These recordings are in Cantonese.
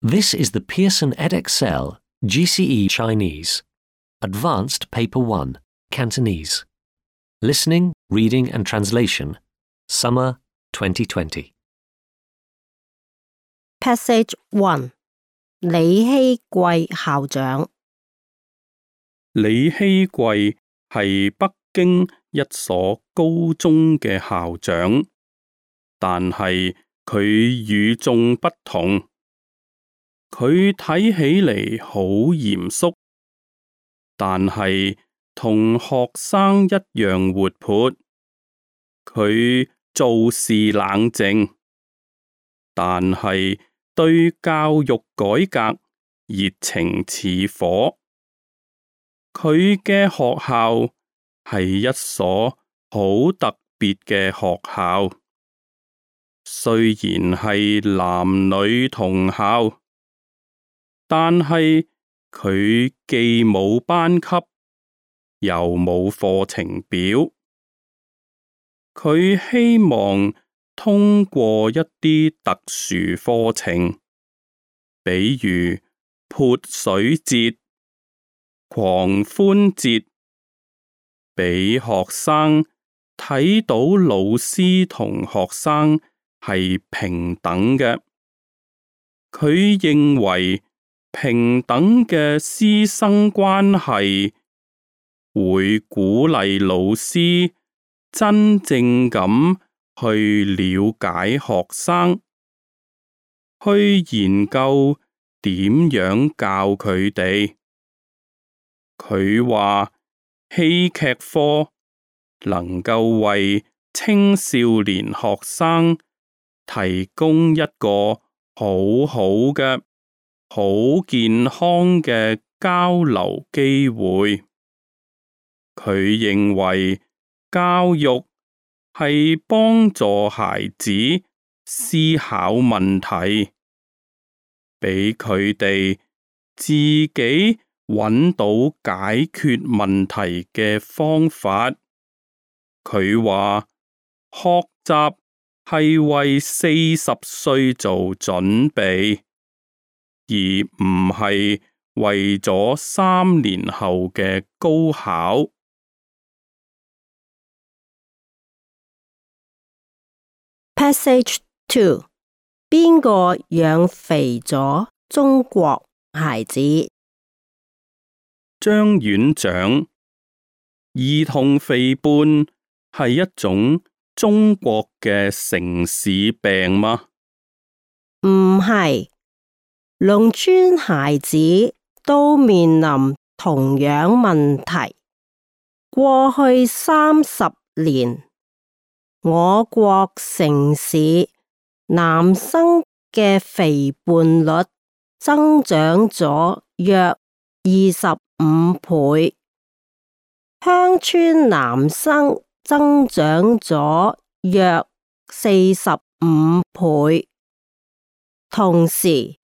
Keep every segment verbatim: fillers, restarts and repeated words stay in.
This is the Pearson Edexcel G C E Chinese, Advanced Paper one, Cantonese. Listening, Reading and Translation, Summer twenty twenty. Passage one 李希貴校長。李希貴係北京一所高中嘅校長，但係佢與眾不同。佢睇起嚟好嚴肅，但係同學生一樣活潑。佢做事冷靜，但係對教育改革熱情似火。佢嘅學校係一所好特別嘅學校，雖然係男女同校，但係佢既冇班級，又冇課程表。佢希望通過一啲特殊課程，比如潑水節、狂歡節，俾學生睇到老師同學生係平等嘅。佢認為平等嘅師生關係會鼓勵老師真正咁去了解學生，去研究點樣教佢哋。佢話戲劇課能夠為青少年學生提供一個好好嘅、好健康嘅交流機會。佢認為教育係幫助孩子思考問題，俾佢哋自己揾到解決問題嘅方法。佢話學習係為四十歲做準備，而唔係為咗三年後嘅高考。Passage two 邊個養肥咗中國孩子？張院長，兒童肥胖係一種中國嘅城市病嗎？唔係，農村孩子都面臨同樣問題。過去三十年，我國城市男生嘅肥胖率增長咗約二十五倍，鄉村男生增長咗約四十五倍。同時，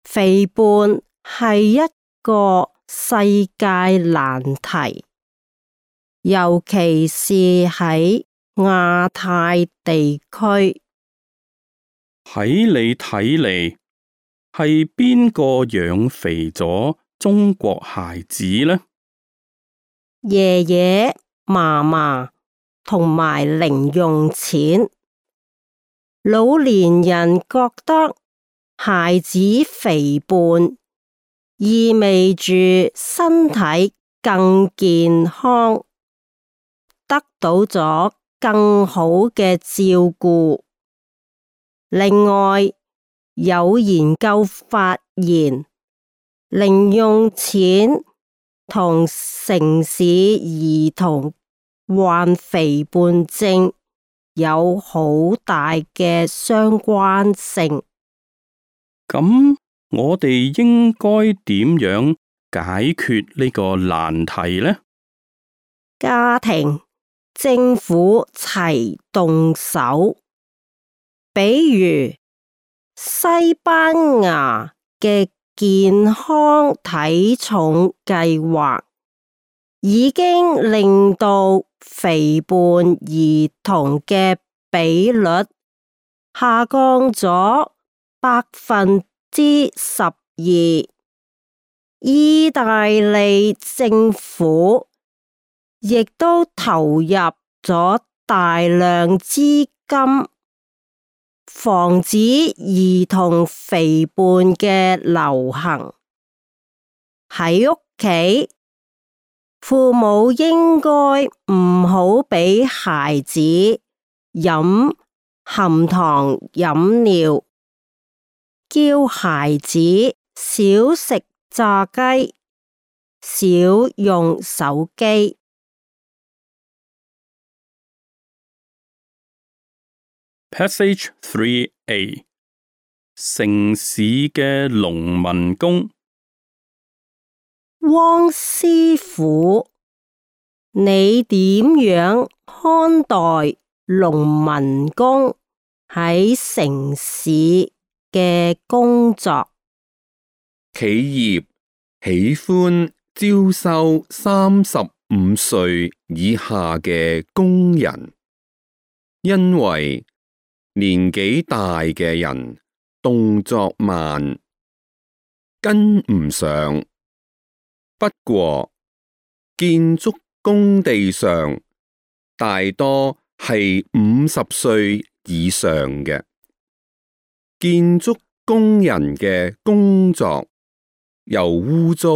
肥胖係一個世界難題，尤其是喺亞太地區。喺你睇嚟，係邊個養肥咗中國孩子呢？爺爺、嫲嫲同埋零用錢。老年人覺得孩子肥胖意味住身體更健康，得到咗更好嘅照顧。另外，有研究發現，零用錢同城市兒童患肥胖症有好大嘅相關性。咁我哋應該點樣解決呢個難題呢？家庭、政府齊動手。比如西班牙嘅健康體重計劃已經令到肥胖兒童嘅比率下降咗百分之十二，意大利政府亦都投入咗大量資金，防止兒童肥胖嘅流行。喺屋企，父母應該唔好俾孩子飲含糖飲料，叫孩子少食炸雞，少用手機。Passage three A 城市嘅農民工。汪師傅，你點樣看待農民工喺城市嘅工作？企業喜歡招收三十五歲以下嘅工人，因為年紀大嘅人動作慢，跟唔上。不過，建築工地上大多係五十歲以上嘅建築工人嘅工作又污糟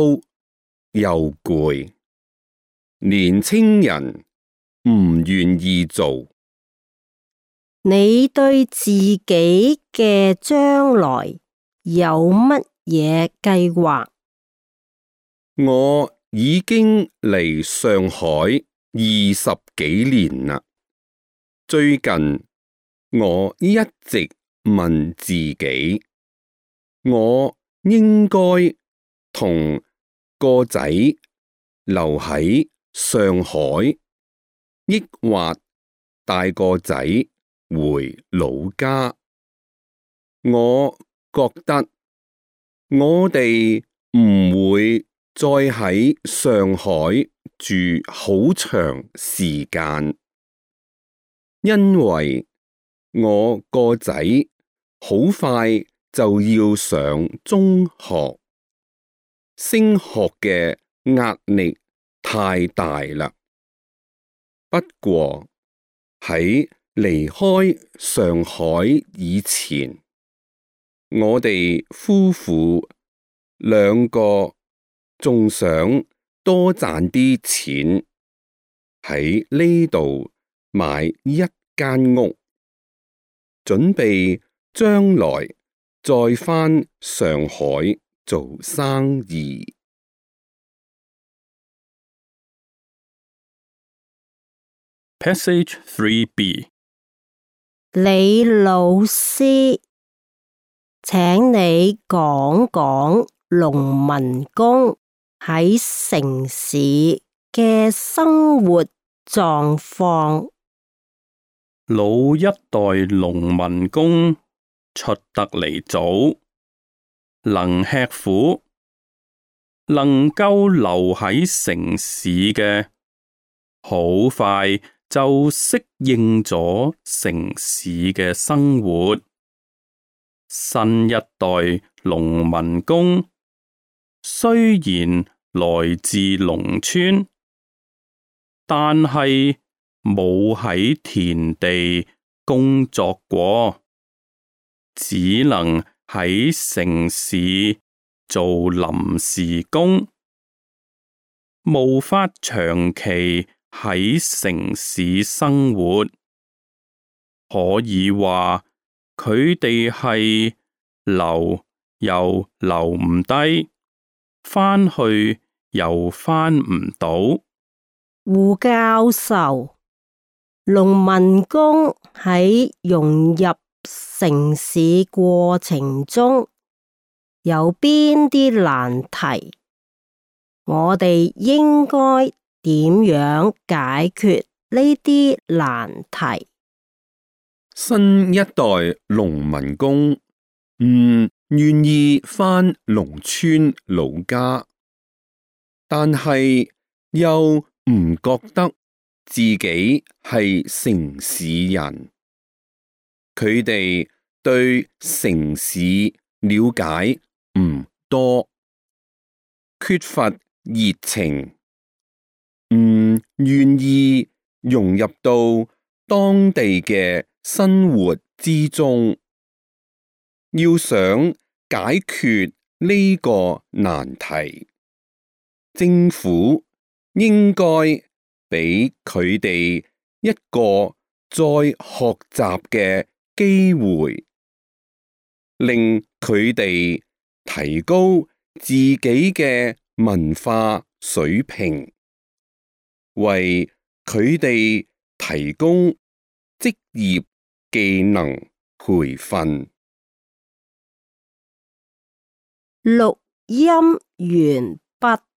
又攰，年青人唔願意做。你對自己嘅將來有乜嘢計劃？我已經嚟上海二十幾年啦。最近我一直問自己，我應該同個仔留喺上海，抑或帶個仔回老家？我覺得我哋唔會再喺上海住好長時間，因為我個仔好快就要上中學，升學嘅壓力太大啦。不過喺離開上海以前，我哋夫婦兩個仲想多賺啲錢，喺呢度買一間屋，準備將來再返上海做生意。Passage three B 李老師，請你講講農民工喺城市嘅生活狀況。老一代農民工出得嚟早，能吃苦，能夠留喺城市嘅，好快就適應咗城市嘅生活。新一代農民工雖然來自農村，但係冇喺田地工作過，只能喺城市做臨時工，無法長期喺城市生活。可以話佢哋係留又留唔低，返去又返唔到。胡教授，農民工喺融入城市過程中有邊啲難題？我哋應該點樣解決呢啲難題？新一代農民工唔願意返農村老家，但係又唔覺得自己係城市人。佢哋對城市了解唔多，缺乏熱情，唔願意融入到當地嘅生活之中。要想解決呢個難題，政府應該俾佢哋一個再學習嘅機會，令佢哋提高自己嘅文化水平，為佢哋提供職業技能培訓。錄音完畢。